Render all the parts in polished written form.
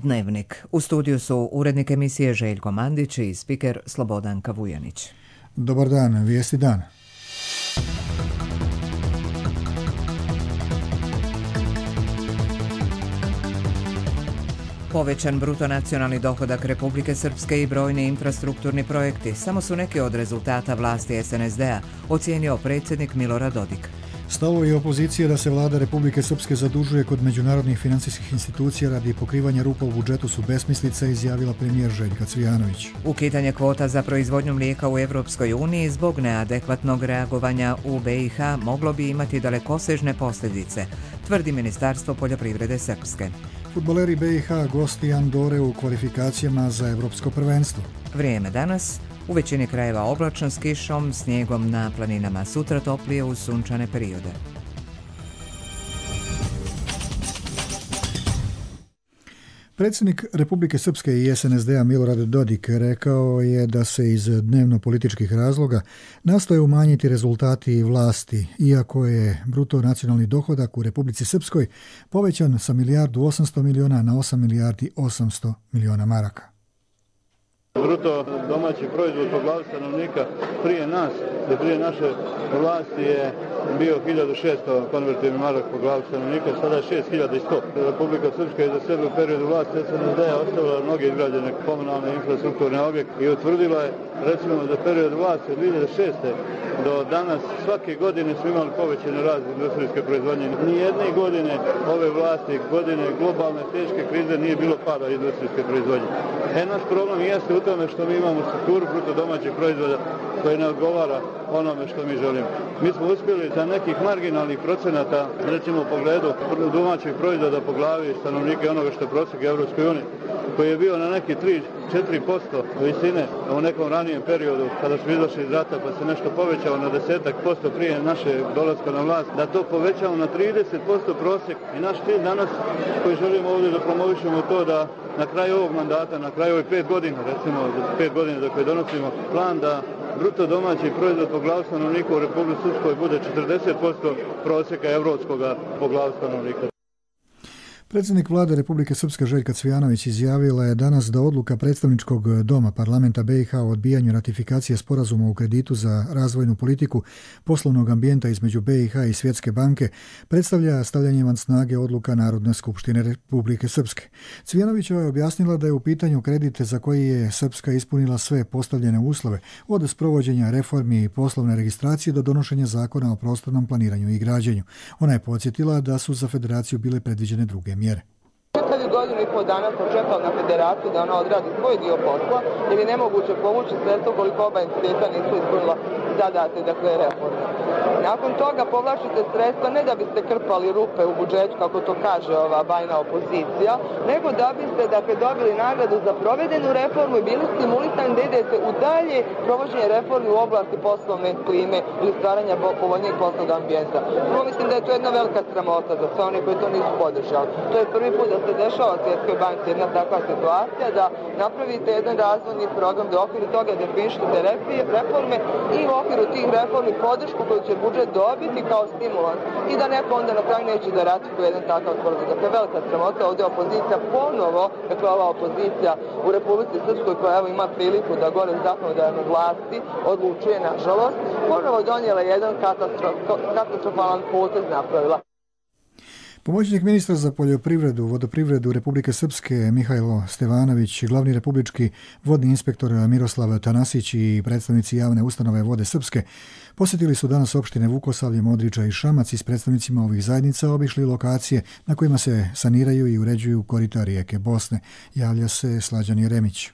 Dnevnik. U studiju su urednik emisije Željko Mandić i spiker Slobodanka Vujanić. Dobar dan, vijesti dana. Povećan bruto nacionalni dohodak Republike Srpske i brojni infrastrukturni projekti samo su neki od rezultata vlasti SNSD-a, ocijenio predsjednik Milorad Dodik. Stavovi opozicije da se vlada Republike Srpske zadužuje kod međunarodnih financijskih institucija radi pokrivanja rupa u budžetu su besmislica, izjavila premijer Željka Cvijanović. Ukidanje kvota za proizvodnju mlijeka u Europskoj uniji zbog neadekvatnog reagovanja u BiH moglo bi imati dalekosežne posljedice, tvrdi Ministarstvo poljoprivrede Srpske. Fudbaleri BiH gosti Andore u kvalifikacijama za Evropsko prvenstvo. Vrijeme danas. U većini krajeva oblačno s kišom, snijegom na planinama, sutra toplije uz sunčane periode. Predsjednik Republike Srpske i SNSD-a Milorad Dodik rekao je da se iz dnevno-političkih razloga nastoje umanjiti rezultati vlasti, iako je bruto nacionalni dohodak u Republici Srpskoj povećan sa 1.800.000.000 na 8.800.000.000 maraka. Bruto domaći proizvod po glavi stanovnika prije nas, prije naše vlasti je bio 1.600 konvertibilnih maraka po glavi stanovnika, sada je 6.100. Republika Srpska je za sebe u periodu vlasti SNSD-a ostavila mnoge izgrađene komunalne infrastrukturne objekte i utvrdila je, recimo, za period vlasti od 2006. do danas svake godine su imali povećane rast industrijske proizvodnje. Nijedne godine ove vlasti, godine globalne teške krize nije bilo pada industrijske proizvodnje. Naš problem jeste u tome što mi imamo strukturu bruto domaćeg proizvoda koji ne odgovara onome što mi želimo. Mi smo uspjeli za nekih marginalnih procenata, recimo u pogledu domaćeg proizvoda po glavi stanovnika onoga što je prosjek Evropskoj uniji, koji je bio na neki 3-4% visine u nekom ranijem periodu kada smo izašli iz rata, pa se nešto povećao na 10% prije naše dolaska na vlast, da to povećamo na 30% prosjek. I naš cilj danas koji želimo ovdje da promovišemo to da na kraju ovog mandata, na kraju ovih 5 godina, recimo 5 godina dok je donosimo plan da bruto domaći proizvod po glavi stanovnika u Republici Srpskoj bude 40% prosjeka evropskog po glavi stanovnika. Predsjednik vlade Republike Srpske Željka Cvijanović izjavila je danas da odluka predstavničkog doma parlamenta BiH o odbijanju ratifikacije sporazuma u kreditu za razvojnu politiku poslovnog ambijenta između BiH i Svjetske banke predstavlja stavljanje van snage odluka Narodne skupštine Republike Srpske. Cvijanovićeva je objasnila da je u pitanju kredite za koji je Srpska ispunila sve postavljene uslove, od sprovođenja reformi i poslovne registracije do donošenja zakona o prostornom planiranju i građenju. Ona je podsjetila da su za federaciju bile predviđene druge mjere. Godinu i pol dana sam čekao na federaciju da ona odradi svoj dio posla, jer je nemoguće povući sredstvo koliko oba entiteta nisu ispunila zadate, dakle, reforme. Nakon toga povlačite sredstva ne da biste krpali rupe u budžetu, kako to kaže ova bajna opozicija, nego da biste, dakle, dobili nagradu za provedenu reformu i bili stimulisani da idete u dalje provođenje reformi u oblasti poslovne klime ili stvaranja povoljnijeg poslovnog ambijenta. Prvo mislim da je to jedna velika sramota za sve one koji to nisu podržali. To je prvi put da se dešava Svjetskoj banci jedna takva situacija, da napravite jedan razvojni program, da u okviru toga definišete reforme i u okviru tih reformi podršku koju će budžet dobiti kao stimulans i da neko onda na kraju neće da ratifikuje jedan takav program. Dakle, velika sramota, ovdje opozicija ponovo, dakle ova opozicija u Republici Srpskoj koja evo ima priliku da gore zakonodavnoj vlasti odlučuje, nažalost, ponovo donijela jedan katastrofalan potez napravila. Pomoćnik ministra za poljoprivredu, vodoprivredu Republike Srpske Mihajlo Stevanović, glavni republički vodni inspektor Miroslav Tanasić i predstavnici javne ustanove Vode Srpske posjetili su danas opštine Vukosavlje, Modriča i Šamac i s predstavnicima ovih zajednica obišli lokacije na kojima se saniraju i uređuju korita rijeke Bosne. Javlja se Slađan Jeremić.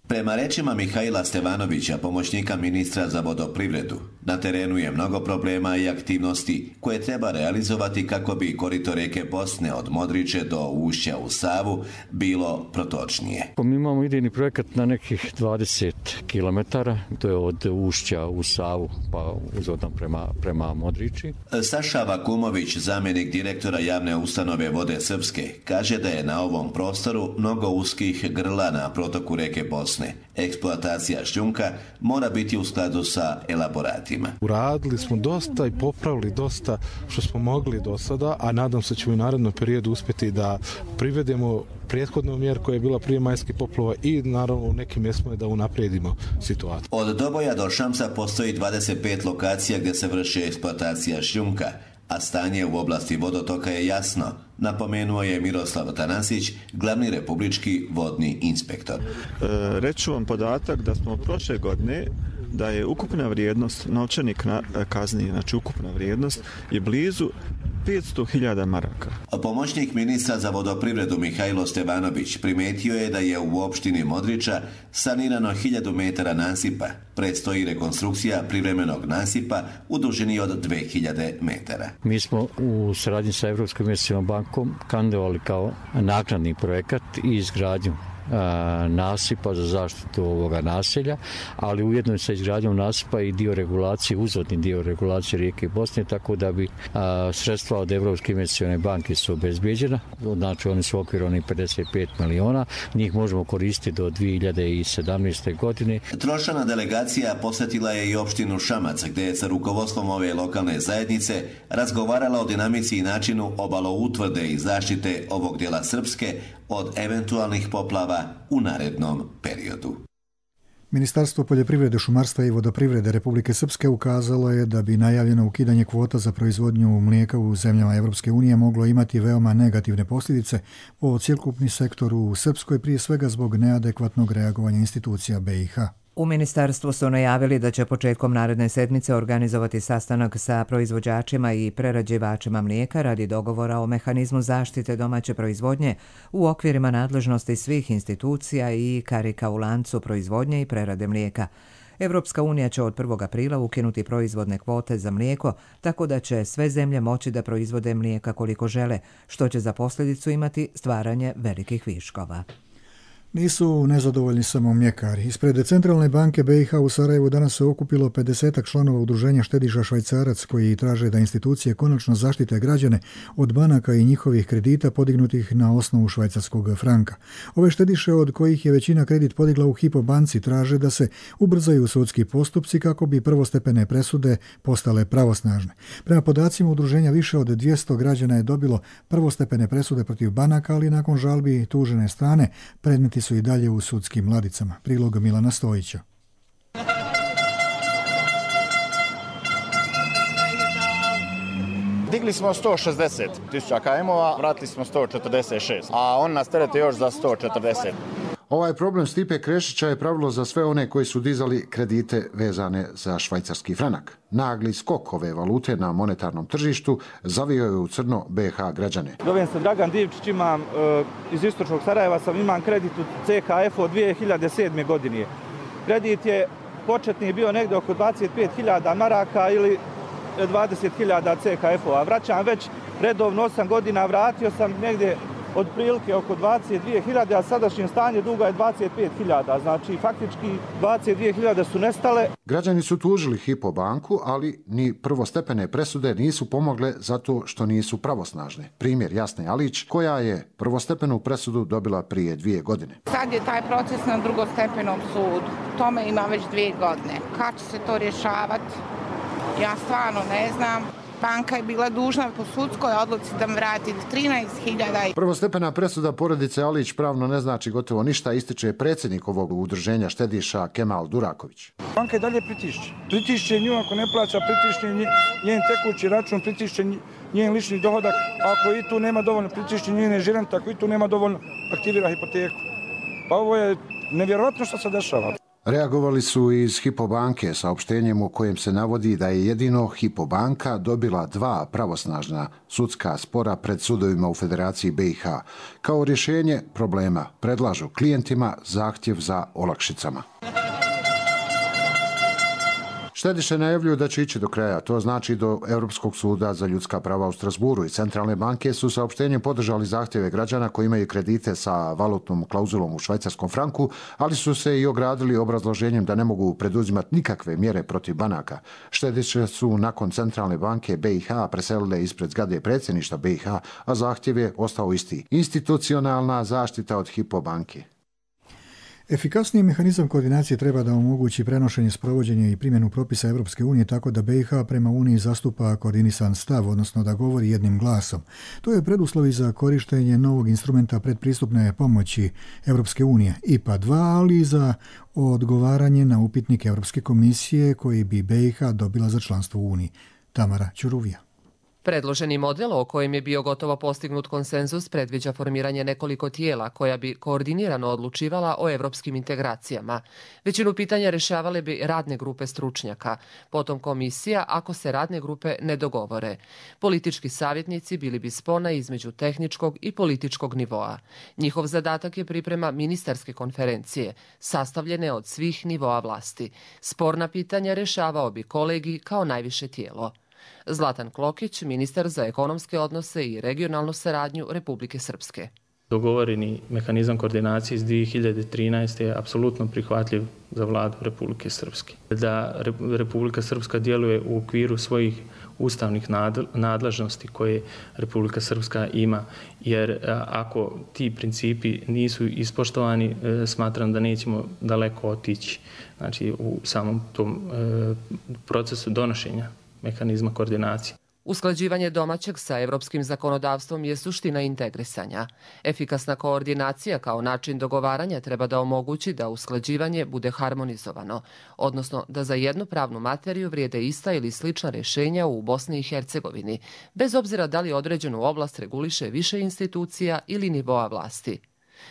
Prema rečima Mihajla Stevanovića, pomoćnika ministra za vodoprivredu, na terenu je mnogo problema i aktivnosti koje treba realizovati kako bi korito rijeke Bosne od Modriče do ušća u Savu bilo protočnije. Mi imamo idejni projekat na nekih 20 km, to je od ušća u Savu pa uzvodno prema Modriči. Saša Vakumović, zamjenik direktora javne ustanove Vode Srpske, kaže da je na ovom prostoru mnogo uskih grla na protoku rijeke Bosne. propusne. Eksploatacija šljunka mora biti u skladu sa elaboratima. Uradili smo dosta i popravili dosta što smo mogli do sada, a nadam se ćemo u narednom periodu uspjeti da privedemo prethodnu mjeru koja je bila prije majskih poplava i naravno u nekim mjestima da unaprijedimo situaciju. Od Doboja do Šamsa postoji 25 lokacija gdje se vrši eksploatacija šljunka, a stanje u oblasti vodotoka je jasno, napomenuo je Miroslav Tanasić, glavni republički vodni inspektor. Reći ću vam podatak da smo prošle godine da je ukupna vrijednost novčanih kazni, znači ukupna vrijednost je blizu 500.000 maraka. Pomoćnik ministra za vodoprivredu Mihajlo Stevanović primetio je da je u opštini Modriča sanirano 1000 metara nasipa. Predstoji rekonstrukcija privremenog nasipa u dužini od 2000 metara. Mi smo u saradnji sa Evropskom investicijskom bankom kandidovali kao naknadni projekat i izgradnju nasipa za zaštitu ovoga naselja, ali ujedno sa izgradnjom nasipa i dio regulacije, uzvodni dio regulacije rijeke Bosne, tako da bi sredstva od Evropske investicijske banke su obezbeđena, znači oni su okvirani 55 miliona, njih možemo koristiti do 2017. godine. Trošana delegacija posjetila je i opštinu Šamac, gdje je sa rukovodstvom ove lokalne zajednice razgovarala o dinamici i načinu obaloutvrde i zaštite ovog dijela Srpske od eventualnih poplava u narednom periodu. Ministarstvo poljoprivrede, šumarstva i vodoprivrede Republike Srpske ukazalo je da bi najavljeno ukidanje kvota za proizvodnju mlijeka u zemljama Europske unije moglo imati veoma negativne posljedice po cjelokupni sektor u Srpskoj, prije svega zbog neadekvatnog reagovanja institucija BiH. U ministarstvu su najavili da će početkom naredne sedmice organizovati sastanak sa proizvođačima i prerađivačima mlijeka radi dogovora o mehanizmu zaštite domaće proizvodnje u okvirima nadležnosti svih institucija i karika u lancu proizvodnje i prerade mlijeka. Evropska unija će od 1. aprila ukinuti proizvodne kvote za mlijeko, tako da će sve zemlje moći da proizvode mlijeka koliko žele, što će za posljedicu imati stvaranje velikih viškova. Nisu nezadovoljni samo mljekari. Ispred Centralne banke BiH u Sarajevu danas se okupilo 50 članova udruženja štediša Švajcarac koji traže da institucije konačno zaštite građane od banaka i njihovih kredita podignutih na osnovu švajcarskog franka. Ove štediše, od kojih je većina kredit podigla u Hypo banci, traže da se ubrzaju sudski postupci kako bi prvostepene presude postale pravosnažne. Prema podacima udruženja, više od 200 građana je dobilo prvostepene presude protiv banaka, ali nakon žalbi tužene strane predmeti su i dalje u sudskim ladicama. Prilog Milana Stojića. Digli smo 160.000 KM-ova, vratili smo 146, a on nas terete još za 140. Ovaj problem Stipe Krešića je pravilo za sve one koji su dizali kredite vezane za švajcarski franak. Nagli skok ove valute na monetarnom tržištu zavio je u crno BiH građane. Zovem se Dragan Divčić, imam iz istočnog Sarajeva, imam kredit u CHF od 2007. godine. Kredit je početni bio negdje oko 25.000 maraka ili 20.000 CHF-ova. Vraćam već redovno 8 godina, vratio sam negdje od prilike oko 22.000, a sadašnje stanje duga je 25.000, znači faktički 22.000 su nestale. Građani su tužili Hypo banku, ali ni prvostepene presude nisu pomogle zato što nisu pravosnažne. Primjer Jasne Alić, koja je prvostepenu presudu dobila prije 2 godine. Sad je taj proces na drugostepenom sudu. Tome ima već 2 godine. Kad će se to rješavati? Ja stvarno ne znam. Banka je bila dužna po sudskoj odluci da mi vrati 13.000. Prvostepena presuda porodice Alić pravno ne znači gotovo ništa, ističe predsjednik ovog udruženja štediša Kemal Duraković. Banka i dalje pritišće. Pritišće nju ako ne plaća, pritišće njen tekući račun, pritišće njen lični dohodak. Ako i tu nema dovoljno, pritišće njene žirente, ako i tu nema dovoljno, aktivira hipoteku. Pa ovo je nevjerojatno što se dešava. Reagovali su iz Hypo banke saopštenjem u kojem se navodi da je jedino Hypo banka dobila 2 pravosnažna sudska spora pred sudovima u Federaciji BiH. Kao rješenje problema predlažu klijentima zahtjev za olakšicama. Štediše najavljuju da će ići do kraja, to znači do Europskog suda za ljudska prava u Strasburu, i centralne banke su saopštenjem podržali zahtjeve građana koji imaju kredite sa valutnom klauzulom u švajcarskom franku, ali su se i ogradili obrazloženjem da ne mogu preduzimati nikakve mjere protiv banaka. Štediše su nakon centralne banke BiH preselile ispred zgrade predsjedništva BiH, a zahtjev je ostao isti. Institucionalna zaštita od Hypo banke. Efikasniji mehanizam koordinacije treba da omogući prenošenje, sprovođenje i primjenu propisa Europske unije tako da BiH prema Uniji zastupa koordinisan stav, odnosno da govori jednim glasom. To je preduslov za korištenje novog instrumenta predpristupne pomoći Europske unije, IPA 2, ali i za odgovaranje na upitnik Europske komisije koji bi BiH dobila za članstvo u Uniji. Tamara Ćuruvija. Predloženi model o kojem je bio gotovo postignut konsenzus predviđa formiranje nekoliko tijela koja bi koordinirano odlučivala o evropskim integracijama. Većinu pitanja rješavale bi radne grupe stručnjaka, potom komisija ako se radne grupe ne dogovore. Politički savjetnici bili bi spona između tehničkog i političkog nivoa. Njihov zadatak je priprema ministarske konferencije, sastavljene od svih nivoa vlasti. Sporna pitanja rješavao bi kolegij kao najviše tijelo. Zlatan Klokić, ministar za ekonomske odnose i regionalnu saradnju Republike Srpske. Dogovoreni mehanizam koordinacije iz 2013. je apsolutno prihvatljiv za vladu Republike Srpske. Da Republika Srpska djeluje u okviru svojih ustavnih nadležnosti koje Republika Srpska ima, jer ako ti principi nisu ispoštovani, smatram da nećemo daleko otići, znači, u samom tom procesu donošenja mehanizma koordinacije. Usklađivanje domaćeg sa evropskim zakonodavstvom je suština integrisanja. Efikasna koordinacija kao način dogovaranja treba da omogući da usklađivanje bude harmonizovano, odnosno da za jednu pravnu materiju vrijede ista ili slična rješenja u Bosni i Hercegovini, bez obzira da li određenu oblast reguliše više institucija ili nivoa vlasti.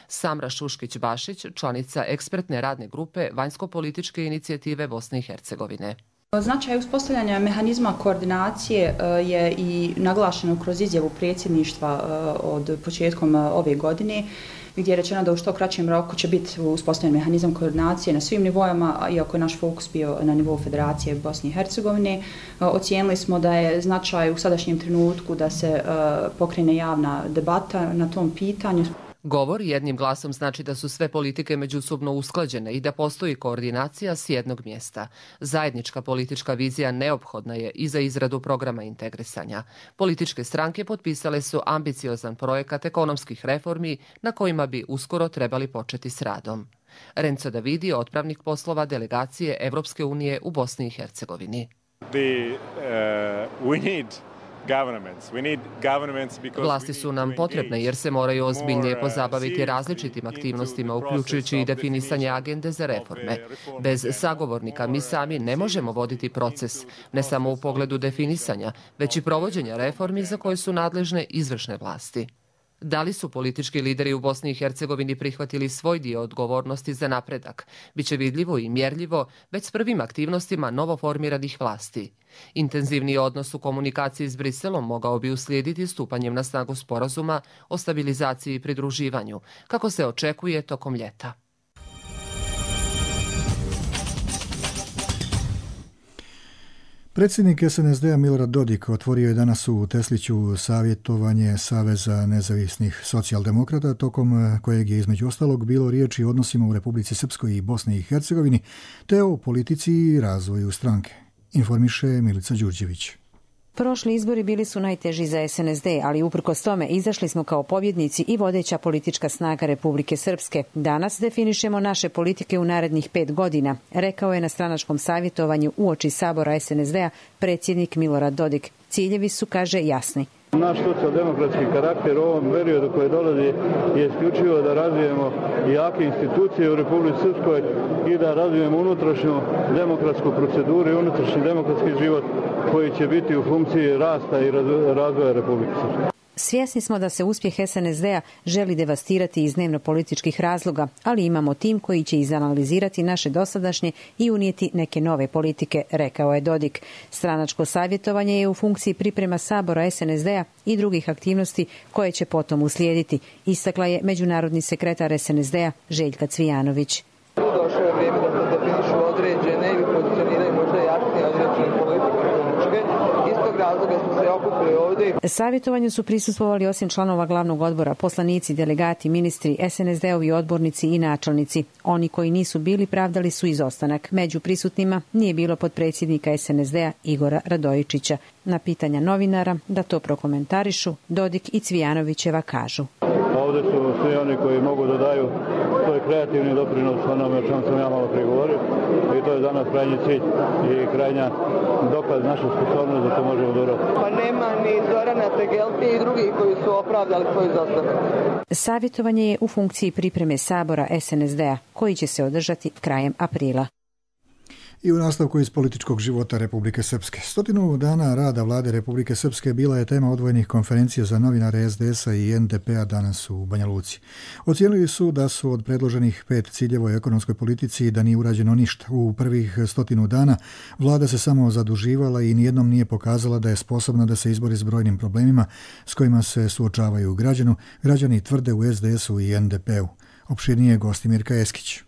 Samra Šuškić-Bašić, članica ekspertne radne grupe Vanjsko-političke inicijative Bosne i Hercegovine. Značaj uspostavljanja mehanizma koordinacije je i naglašeno kroz izjavu predsjedništva od početkom ove godine, gdje je rečeno da u što kraćem roku će biti uspostavljen mehanizam koordinacije na svim nivoima, iako je naš fokus bio na nivou Federacije Bosne i Hercegovine. Ocijenili smo da je značaj u sadašnjem trenutku da se pokrene javna debata na tom pitanju. Govor jednim glasom znači da su sve politike međusobno usklađene i da postoji koordinacija s jednog mjesta. Zajednička politička vizija neophodna je i za izradu programa integrisanja. Političke stranke potpisale su ambiciozan projekat ekonomskih reformi na kojima bi uskoro trebali početi s radom. Renzo Davidi, otpravnik poslova delegacije Evropske unije u Bosni i Hercegovini. Vlasti su nam potrebne jer se moraju ozbiljnije pozabaviti različitim aktivnostima, uključujući i definisanje agende za reforme. Bez sagovornika mi sami ne možemo voditi proces, ne samo u pogledu definisanja, već i provođenja reformi za koje su nadležne izvršne vlasti. Da li su politički lideri u Bosni i Hercegovini prihvatili svoj dio odgovornosti za napredak? Biće vidljivo i mjerljivo već s prvim aktivnostima novoformiranih vlasti. Intenzivni odnos u komunikaciji s Briselom mogao bi uslijediti stupanjem na snagu sporazuma o stabilizaciji i pridruživanju, kako se očekuje tokom ljeta. Predsjednik SNSD-a Milorad Dodik otvorio je danas u Tesliću savjetovanje Saveza nezavisnih socijaldemokrata, tokom kojeg je između ostalog bilo riječi o odnosima u Republici Srpskoj i Bosni i Hercegovini, te o politici i razvoju stranke. Informiše Milica Đurđević. Prošli izbori bili su najteži za SNSD, ali uprkos tome izašli smo kao pobjednici i vodeća politička snaga Republike Srpske. Danas definišemo naše politike u narednih 5 godina, rekao je na stranačkom savjetovanju uoči sabora SNSD-a predsjednik Milorad Dodik. Ciljevi su, kaže, jasni. Naš socijaldemokratski karakter u ovom periodu koji dolazi je isključivo da razvijemo jake institucije u Republici Srpskoj i da razvijemo unutrašnju demokratsku proceduru i unutrašnji demokratski život koji će biti u funkciji rasta i razvoja Republike Srpske. Svjesni smo da se uspjeh SNSD-a želi devastirati iz dnevno-političkih razloga, ali imamo tim koji će izanalizirati naše dosadašnje i unijeti neke nove politike, rekao je Dodik. Stranačko savjetovanje je u funkciji priprema sabora SNSD-a i drugih aktivnosti koje će potom uslijediti, istakla je međunarodni sekretar SNSD-a Željka Cvijanović. Došlo je vrijeme da se definišu određene ili pozicioniraju možda jasnije određene politike. Iz tog razloga smo se okupili ovdje. Savjetovanju su prisustvovali osim članova glavnog odbora, poslanici, delegati, ministri, SNSD-ovi odbornici i načelnici. Oni koji nisu bili pravdali su izostanak. Među prisutnima nije bilo potpredsjednika SNSD-a Igora Radojičića. Na pitanja novinara da to prokomentarišu, Dodik i Cvijanovićeva kažu. Ovdje su svi oni koji mogu da daju svoj kreativni doprinos onome o čemu sam ja malo prije govorio. I to je za nas krajnji cilj i krajnja dokaz naše sposobnosti da to možemo dobro. Pa nema ni Zorana Tegelke i drugih koji su opravdali svoj izostanak. Savjetovanje je u funkciji pripreme Sabora SNSD-a, koji će se održati krajem aprila. I u nastavku iz političkog života Republike Srpske. 100 dana rada vlade Republike Srpske bila je tema odvojenih konferencija za novinare SDS-a i NDP-a danas u Banja Luci. Ocijenili su da su od predloženih 5 ciljeva u ekonomskoj politici da nije urađeno ništa. U prvih 100 dana vlada se samo zaduživala i nijednom nije pokazala da je sposobna da se izbori s brojnim problemima s kojima se suočavaju građani tvrde u SDS-u i NDP-u. Opširnije gosti Mirka Eskić.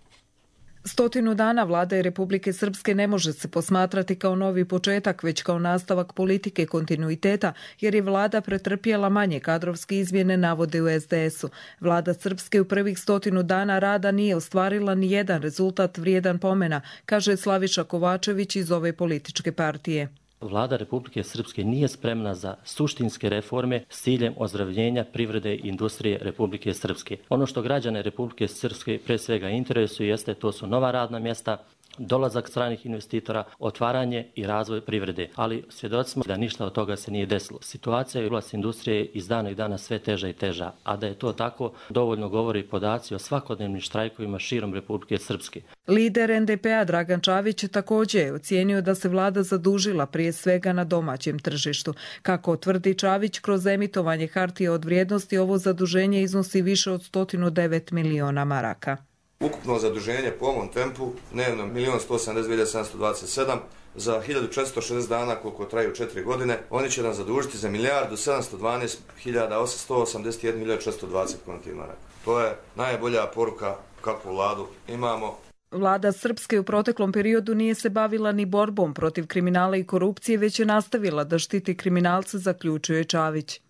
100 dana vlade Republike Srpske ne može se posmatrati kao novi početak, već kao nastavak politike kontinuiteta, jer je vlada pretrpjela manje kadrovske izmjene, navode u SDS-u. Vlada Srpske u prvih 100 dana rada nije ostvarila ni jedan rezultat vrijedan pomena, kaže Slaviša Kovačević iz ove političke partije. Vlada Republike Srpske nije spremna za suštinske reforme s ciljem ozdravljenja privrede i industrije Republike Srpske. Ono što građane Republike Srpske pre svega interesuje jeste to su nova radna mjesta, dolazak stranih investitora, otvaranje i razvoj privrede. Ali svjedoci smo da ništa od toga se nije desilo. Situacija u oblasti industrije iz dana i dana sve teža i teža, a da je to tako dovoljno govori podaci o svakodnevnim štrajkovima širom Republike Srpske. Lider NDP-a Dragan Čavić također je ocijenio da se vlada zadužila prije svega na domaćem tržištu. Kako tvrdi Čavić, kroz emitovanje hartija od vrijednosti ovo zaduženje iznosi više od 109 miliona maraka. Ukupno zaduženje po ovom tempu dnevno 1.182.727 za 1460 dana koliko traju 4 godine. Oni će nam zadužiti za 1.712.881.420 konti maraka. To je najbolja poruka kakvu vladu imamo. Vlada Srpske u proteklom periodu nije se bavila ni borbom protiv kriminala i korupcije, već je nastavila da štiti kriminalce, zaključuje Čavić.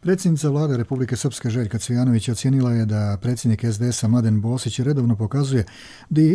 Predsjednica vlade Republike Srpske Željka Cvijanović ocijenila je da predsjednik SDS-a Mladen Bosić redovno pokazuje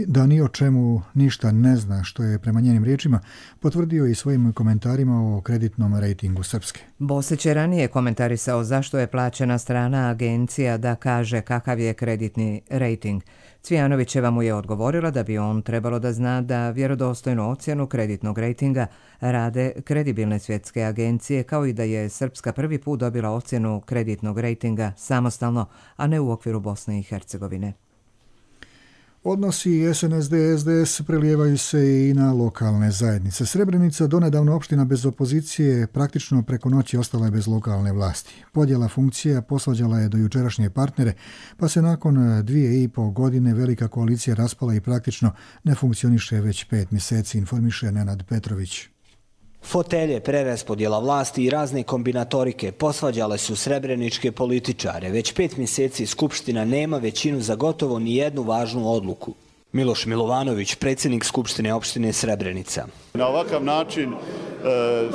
da ni o čemu ništa ne zna, što je prema njenim riječima potvrdio i svojim komentarima o kreditnom rejtingu Srpske. Bosić je ranije komentarisao zašto je plaćena strana agencija da kaže kakav je kreditni rejting. Cvijanovićeva mu je odgovorila da bi on trebalo da zna da vjerodostojnu ocjenu kreditnog rejtinga rade kredibilne svjetske agencije, kao i da je Srpska prvi put dobila ocjenu kreditnog rejtinga samostalno, a ne u okviru Bosne i Hercegovine. Odnosi SNSD-SDS prelijevaju se i na lokalne zajednice. Srebrenica, donedavno opština bez opozicije, praktično preko noći ostala je bez lokalne vlasti. Podjela funkcija posvađala je do jučerašnje partnere, pa se nakon 2,5 godine velika koalicija raspala i praktično ne funkcioniše već 5 mjeseci, informiše Nenad Petrović. Fotelje, preraspodjela vlasti i razne kombinatorike posvađale su srebreničke političare. Već 5 mjeseci Skupština nema većinu za gotovo ni jednu važnu odluku. Miloš Milovanović, predsjednik Skupštine opštine Srebrenica. Na ovakav način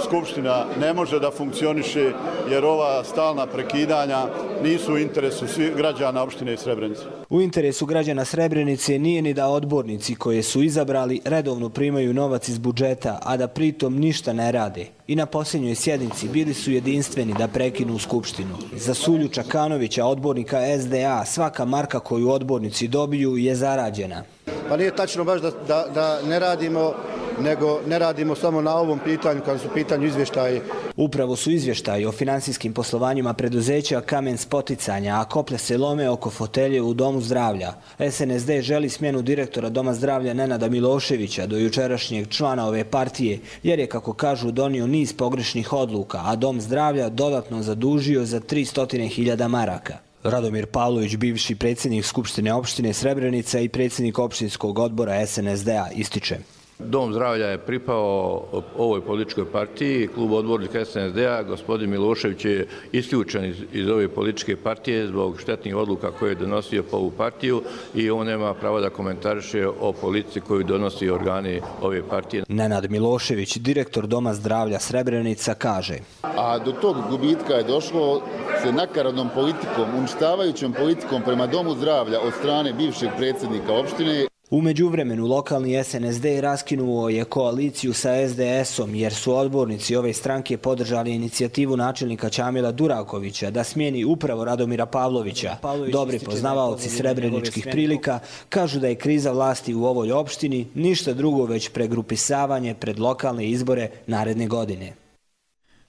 Skupština ne može da funkcioniše jer ova stalna prekidanja nisu u interesu svih građana opštine Srebrenica. U interesu građana Srebrenice nije ni da odbornici koje su izabrali redovno primaju novac iz budžeta, a da pritom ništa ne rade. I na posljednjoj sjednici bili su jedinstveni da prekinu Skupštinu. Za Sulju Čakanovića, odbornika SDA, svaka marka koju odbornici dobiju je zarađena. Pa nije tačno baš da ne radimo, nego ne radimo samo na ovom pitanju, kad su u pitanju izvještaji. Upravo su izvještaji o finansijskim poslovanjima preduzeća kamen spoticanja, a koplja se lome oko fotelje u Domu zdravlja. SNSD želi smjenu direktora Doma zdravlja Nenada Miloševića, do jučerašnjeg člana ove partije, jer je, kako kažu, donio niz pogrešnih odluka, a Dom zdravlja dodatno zadužio za 300.000 maraka. Radomir Pavlović, bivši predsjednik Skupštine opštine Srebrenica i predsjednik opštinskog odbora SNSD-a, ističe. Dom zdravlja je pripao ovoj političkoj partiji, klub odbornika SNSD-a. Gospodin Milošević je isključen iz ove političke partije zbog štetnih odluka koje je donosio po ovu partiju i on nema pravo da komentariše o politici koju donosi organi ove partije. Nenad Milošević, direktor Doma zdravlja Srebrenica, kaže. A do tog gubitka je došlo se nakaradnom politikom, uništavajućom politikom prema Domu zdravlja od strane bivšeg predsjednika opštine. U međuvremenu lokalni SNSD raskinuo je koaliciju sa SDS-om jer su odbornici ove stranke podržali inicijativu načelnika Čamila Durakovića da smijeni upravo Radomira Pavlovića. Dobri poznavaoci srebreničkih prilika kažu da je kriza vlasti u ovoj opštini ništa drugo već pregrupisavanje pred lokalne izbore naredne godine.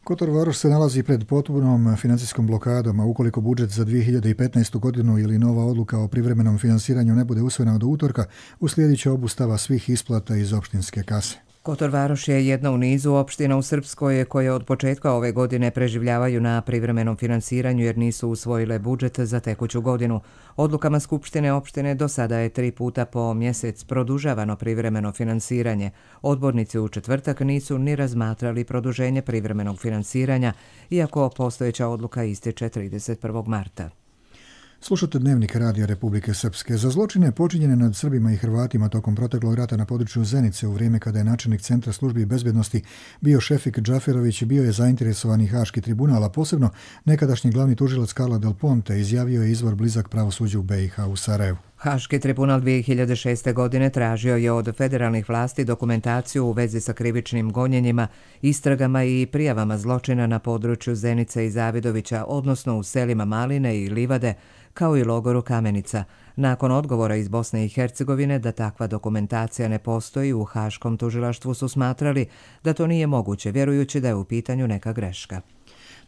Kotor Varoš se nalazi pred potpunom financijskom blokadom, a ukoliko budžet za 2015. godinu ili nova odluka o privremenom finansiranju ne bude usvojena do utorka, uslijedit će obustava svih isplata iz opštinske kase. Kotor Varoš je jedna u nizu opština u Srpskoj koje od početka ove godine preživljavaju na privremenom finansiranju jer nisu usvojile budžet za tekuću godinu. Odlukama Skupštine opštine do sada je 3 puta po mjesec produžavano privremeno finansiranje. Odbornici u četvrtak nisu ni razmatrali produženje privremenog finansiranja, iako postojeća odluka ističe 31. marta. Slušate Dnevnik Radija Republike Srpske. Za zločine počinjene nad Srbima i Hrvatima tokom proteklog rata na području Zenice u vrijeme kada je načelnik Centra službi bezbjednosti bio Šefik Džaferović, bio je zainteresovani Haški tribunal, a posebno nekadašnji glavni tužilac Carla Del Ponte, izjavio je izvor blizak pravosuđu u BiH u Sarajevu. Haški tribunal 2006. godine tražio je od federalnih vlasti dokumentaciju u vezi sa krivičnim gonjenjima, istragama i prijavama zločina na području Zenice i Zavidovića, odnosno u selima Maline i Livade, kao i logoru Kamenica. Nakon odgovora iz Bosne i Hercegovine da takva dokumentacija ne postoji, u Haškom tužilaštvu su smatrali da to nije moguće, vjerujući da je u pitanju neka greška.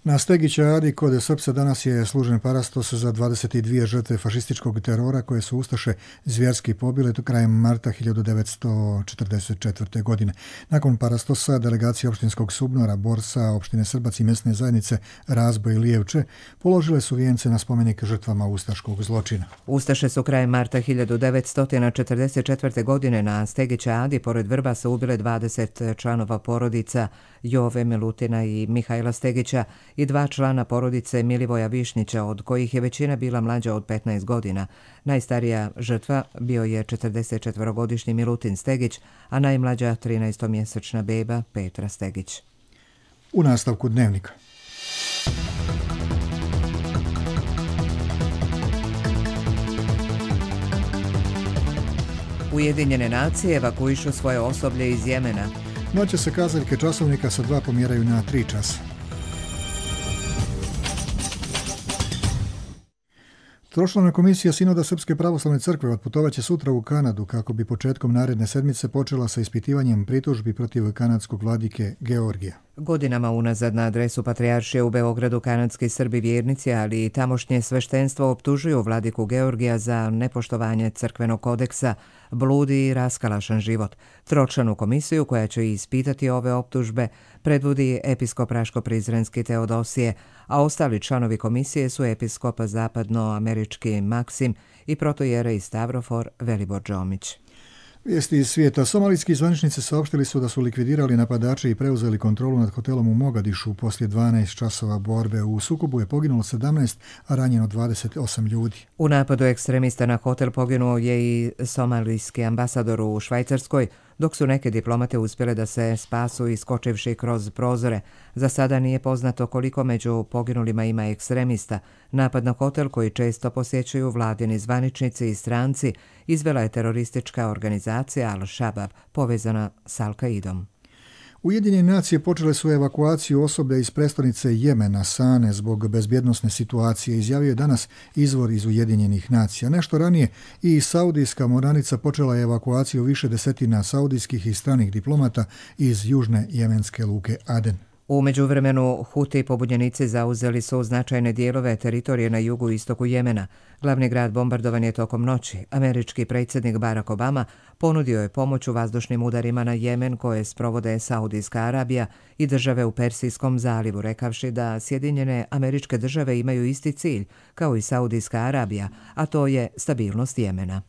Na Stegića Adi kod Srpca danas je služen parastos za 22 žrtve fašističkog terora koje su ustaše zvjerski pobile krajem marta 1944. godine. Nakon parastosa delegacije opštinskog Subnora, Borsa, opštine Srbac i mjesne zajednice Razboj i Lijevče položile su vijence na spomenik žrtvama ustaškog zločina. Ustaše su krajem marta 1944. godine na Stegića Adi pored Vrbasa ubile 20 članova porodica Jove Milutina i Mihajla Stegića i 2 člana porodice Milivoja Višnjića, od kojih je većina bila mlađa od 15 godina. Najstarija žrtva bio je 44-godišnji Milutin Stegić, a najmlađa 13-mjesečna beba Petra Stegić. U nastavku Dnevnika. Ujedinjene nacije evakuišu svoje osoblje iz Jemena. Noće se kazaljke časovnika sa 2 pomjeraju na 3 časa. Tročlana komisija Sinoda Srpske pravoslavne crkve otputovaće sutra u Kanadu kako bi početkom naredne sedmice počela sa ispitivanjem pritužbi protiv kanadskog vladike Georgija. Godinama unazad na adresu Patrijaršije u Beogradu kanadski Srbi vjernici, ali i tamošnje sveštenstvo optužuju vladiku Georgija za nepoštovanje crkvenog kodeksa, bludi i raskalašan život. Tročlanu komisiju koja će ispitati ove optužbe predvodi episkop Raško-Prizrenski Teodosije, a ostali članovi komisije su episkop zapadnoamerički Maksim i protojerej Stavrofor Velibor Džomić. Vijesti iz svijeta. Somalijski zvaničnici saopštili su da su likvidirali napadače i preuzeli kontrolu nad hotelom u Mogadišu. Poslije 12 časova borbe u sukobu je poginulo 17, a ranjeno 28 ljudi. U napadu ekstremista na hotel poginuo je i somalijski ambasador u Švajcarskoj, dok su neke diplomate uspjele da se spasu iskočivši kroz prozore. Za sada nije poznato koliko među poginulima ima ekstremista. Napad na hotel, koji često posjećuju vladini zvaničnici i stranci, izvela je teroristička organizacija Al-Shabaab, povezana s Al-Qaidom. Ujedinjene nacije počele su evakuaciju osoblja iz prestonice Jemena, Sane, zbog bezbjednosne situacije, izjavio je danas izvor iz Ujedinjenih nacija. Nešto ranije i saudijska moranica počela je evakuaciju više desetina saudijskih i stranih diplomata iz južne jemenske luke Aden. U međuvremenu Huti pobunjenici zauzeli su značajne dijelove teritorije na jugu i istoku Jemena. Glavni grad bombardovan je tokom noći. Američki predsjednik Barack Obama ponudio je pomoć u vazdušnim udarima na Jemen koje sprovode Saudijska Arabija i države u Persijskom zalivu, rekavši da Sjedinjene Američke Države imaju isti cilj kao i Saudijska Arabija, a to je stabilnost Jemena.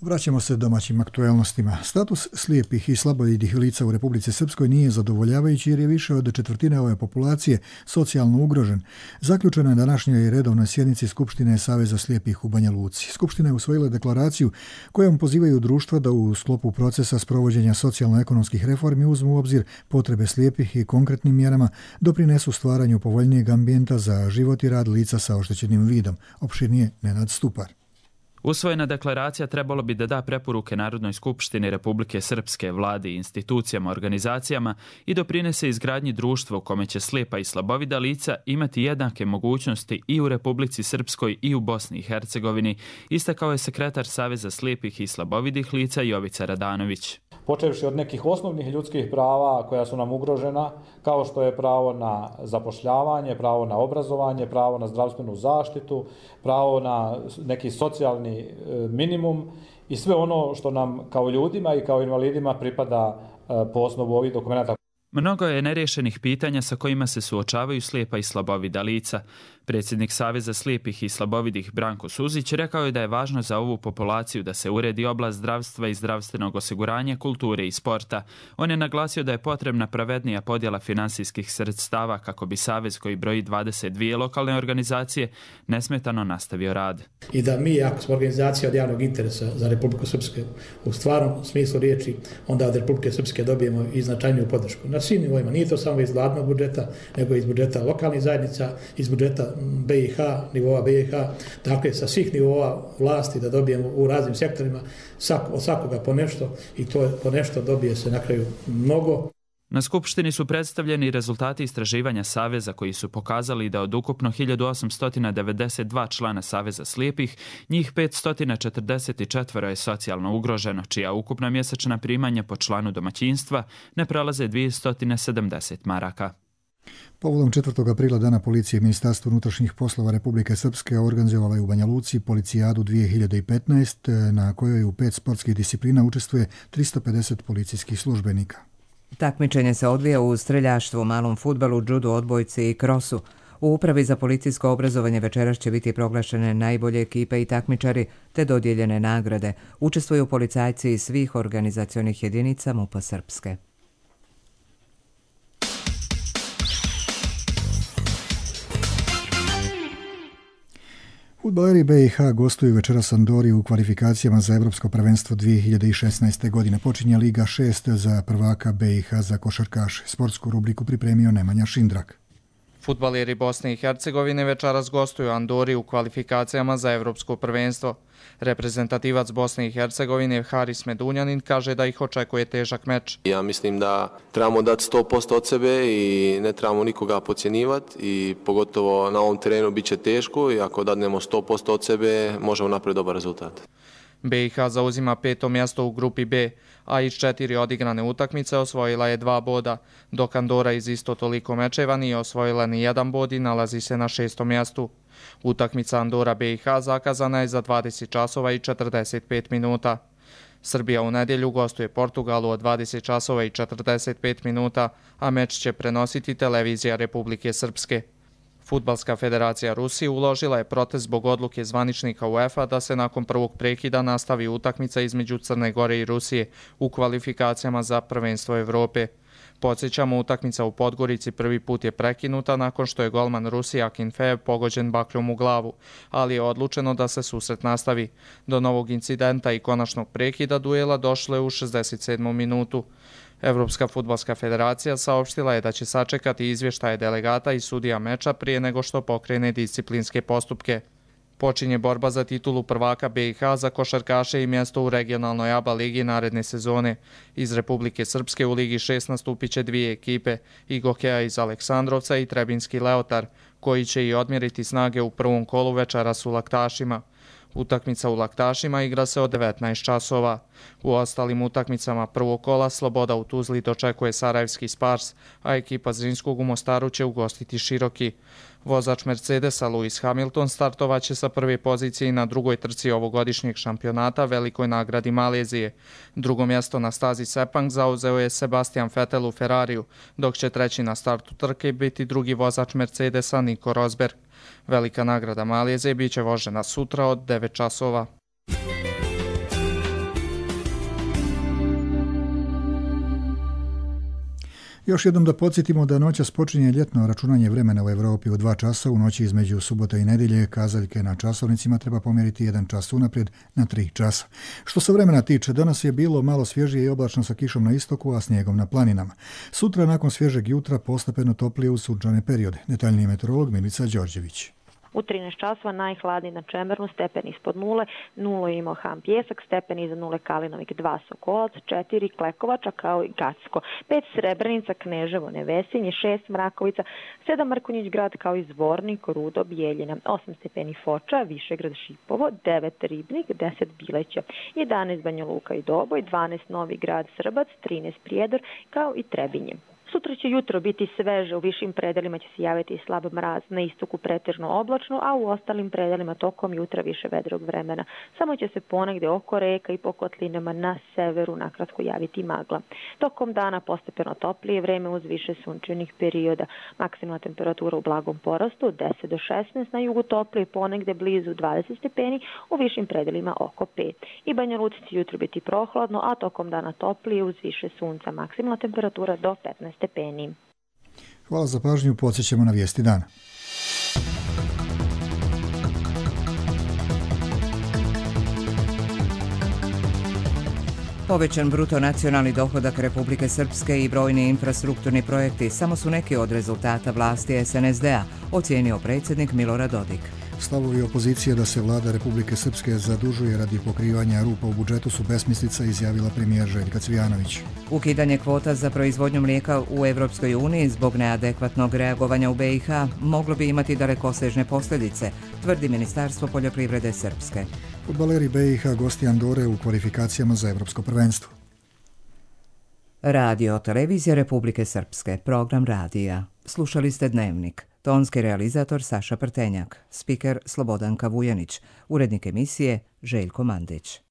Vraćamo se domaćim aktuelnostima. Status slijepih i slabovidih lica u Republici Srpskoj nije zadovoljavajući jer je više od četvrtine ove populacije socijalno ugrožen. Zaključeno je današnjoj redovnoj sjednici Skupštine Saveza slijepih u Banja Luci. Skupština je usvojila deklaraciju kojom pozivaju društva da u sklopu procesa sprovođenja socijalno-ekonomskih reformi uzmu u obzir potrebe slijepih i konkretnim mjerama doprinesu stvaranju povoljnijeg ambijenta za život i rad lica sa oštećenim vidom. Opširnije Nenad Stupar. Usvojena deklaracija trebalo bi da da preporuke Narodnoj skupštini Republike Srpske, vladi, institucijama, organizacijama i doprinese izgradnji društva u kome će slijepa i slabovida lica imati jednake mogućnosti i u Republici Srpskoj i u Bosni i Hercegovini, istakao je sekretar Saveza slijepih i slabovidih lica Jovica Radanović. Počevši od nekih osnovnih ljudskih prava koja su nam ugrožena, kao što je pravo na zapošljavanje, pravo na obrazovanje, pravo na zdravstvenu zaštitu, pravo na neki socijalni minimum i sve ono što nam kao ljudima i kao invalidima pripada po osnovu ovih dokumenta. Mnogo je nerješenih pitanja sa kojima se suočavaju slijepa i slabovida lica. Predsjednik Saveza slijepih i slabovidih Branko Suzić rekao je da je važno za ovu populaciju da se uredi oblast zdravstva i zdravstvenog osiguranja, kulture i sporta. On je naglasio da je potrebna pravednija podjela finansijskih sredstava kako bi Savez, koji broji 22 lokalne organizacije, nesmetano nastavio rad. I da mi, ako smo organizacija od javnog interesa za Republiku Srpsku u stvarnom smislu riječi, onda od Republike Srpske dobijemo i značajniju podršku. Na svim nivoima, nije to samo iz vladnog budžeta, nego iz budžeta lokalnih zajednica, iz budžeta BiH, nivoa BiH, dakle sa svih nivoa vlasti da dobijemo u raznim sektorima od svakoga po nešto i to po nešto dobije se na kraju mnogo. Na skupštini su predstavljeni rezultati istraživanja Saveza koji su pokazali da od ukupno 1892 člana Saveza slijepih, njih 544 je socijalno ugroženo, čija ukupna mjesečna primanja po članu domaćinstva ne prelaze 270 maraka. Povodom 4. aprila Dana policije, Ministarstvo unutrašnjih poslova Republike Srpske organizovala je u Banja Luci Policijadu 2015, na kojoj u 5 sportskih disciplina učestvuje 350 policijskih službenika. Takmičenje se odvija u streljaštvu, malom fudbalu, džudu, odbojci i krosu. U Upravi za policijsko obrazovanje večeras će biti proglašene najbolje ekipe i takmičari te dodijeljene nagrade. Učestvuju policajci iz svih organizacionih jedinica MUP-a Srpske. Fudbaleri BiH gostuju večeras Andori u kvalifikacijama za Evropsko prvenstvo 2016. godine. Počinje Liga 6 za prvaka BiH za košarkaše. Sportsku rubriku pripremio Nemanja Šindrak. Fudbaleri Bosne i Hercegovine večeras gostuju Andori u kvalifikacijama za Evropsko prvenstvo. Reprezentativac Bosne i Hercegovine Haris Medunjanin kaže da ih očekuje težak meč. Ja mislim da trebamo dati 100% od sebe i ne trebamo nikoga podcjenjivati i pogotovo na ovom terenu bit će teško i ako dadnemo 100% od sebe možemo napraviti dobar rezultat. BiH zauzima 5. mjesto u grupi B, a iz 4 odigrane utakmice osvojila je 2 boda, dok Andora iz isto toliko mečeva nije osvojila ni 1 bod i nalazi se na 6. mjestu. Utakmica Andora BiH zakazana je za 20 časova i 45 minuta. Srbija u nedjelju gostuje Portugalu od 20 časova i 45 minuta, a meč će prenositi televizija Republike Srpske. Fudbalska federacija Rusije uložila je protest zbog odluke zvaničnika UEFA da se nakon prvog prekida nastavi utakmica između Crne Gore i Rusije u kvalifikacijama za prvenstvo Evrope. Podsjećamo, utakmica u Podgorici prvi put je prekinuta nakon što je golman Rusije Akinfejev pogođen bakljom u glavu, ali je odlučeno da se susret nastavi. Do novog incidenta i konačnog prekida duela došlo je u 67. minutu. Evropska fudbalska federacija saopštila je da će sačekati izvještaje delegata i sudija meča prije nego što pokrene disciplinske postupke. Počinje borba za titulu prvaka BiH za košarkaše i mjesto u regionalnoj ABA ligi naredne sezone. Iz Republike Srpske u Ligi 6 nastupit će 2 ekipe, Igokeja iz Aleksandrovca i Trebinski Leotar, koji će i odmjeriti snage u prvom kolu večeras u Laktašima. Utakmica u Laktašima igra se od 19 časova. U ostalim utakmicama prvog kola Sloboda u Tuzli dočekuje Sarajevski Spars, a ekipa Zrinskog u Mostaru će ugostiti Široki. Vozač Mercedesa Lewis Hamilton startovaće sa prve pozicije na drugoj trci ovogodišnjeg šampionata Velikoj nagradi Malezije. Drugo mjesto na stazi Sepang zauzeo je Sebastian Vettel u Ferrariju, dok će treći na startu trke biti drugi vozač Mercedesa Nico Rosberg. Velika nagrada Malezije biće vožena sutra od 9 časova. Još jednom da podsjetimo da noćas počinje ljetno računanje vremena u Evropi u 2 časa. U noći između subote i nedjelje kazaljke na časovnicima treba pomjeriti 1 čas unaprijed na 3 časa. Što se vremena tiče, danas je bilo malo svježije i oblačno sa kišom na istoku, a snijegom na planinama. Sutra nakon svježeg jutra postepeno toplije u sunčane periode. Detaljniji meteorolog Milica Đorđević. U 13 časova najhladniji na Čemernu, stepen ispod nule, 0 je imao Ham Pjesak, stepen iza nule Kalinovik, 2 Sokolac, 4 Klekovača kao i Gacko, 5 Srebrenica, Kneževo, Nevesinje, 6 Mrakovica, 7 Mrkonjić Grad kao i Zvornik, Rudo, Bijeljina, 8 stepeni Foča, Višegrad, Šipovo, 9 Ribnik, 10 Bileća, 11 Banja Luka i Doboj, 12 Novi Grad, Srbac, 13 Prijedor kao i Trebinje. Sutra će jutro biti sveže, u višim predelima će se javiti i slab mraz, na istoku pretežno oblačno, a u ostalim predelima tokom jutra više vedrog vremena. Samo će se ponegde oko reka i po kotlinama na severu nakratko javiti magla. Tokom dana postepeno toplije vreme uz više sunčanih perioda. Maksimalna temperatura u blagom porastu 10 do 16, na jugu toplije ponegde blizu 20 stepeni, u višim predelima oko 5. I Banja Luci će jutro biti prohladno, a tokom dana toplije uz više sunca. Maksimalna temperatura do 15 stepeni. Hvala za pažnju, podsjećamo na vijesti dana. Povećan bruto nacionalni dohodak Republike Srpske i brojni infrastrukturni projekti samo su neki od rezultata vlasti SNSD-a, ocijenio predsjednik Milorad Dodik. Stavovi opozicije da se vlada Republike Srpske zadužuje radi pokrivanja rupa u budžetu su besmislica, izjavila premijer Željka Cvijanović. Ukidanje kvota za proizvodnju mlijeka u Evropskoj uniji zbog neadekvatnog reagovanja u BiH moglo bi imati dalekosežne posljedice, tvrdi Ministarstvo poljoprivrede Srpske. Fudbaleri BiH gosti Andore u kvalifikacijama za Evropsko prvenstvo. Radio televizija Republike Srpske, program radija. Slušali ste Dnevnik. Tonski realizator Saša Prtenjak, spiker Slobodanka Vujanić, urednik emisije Željko Mandić.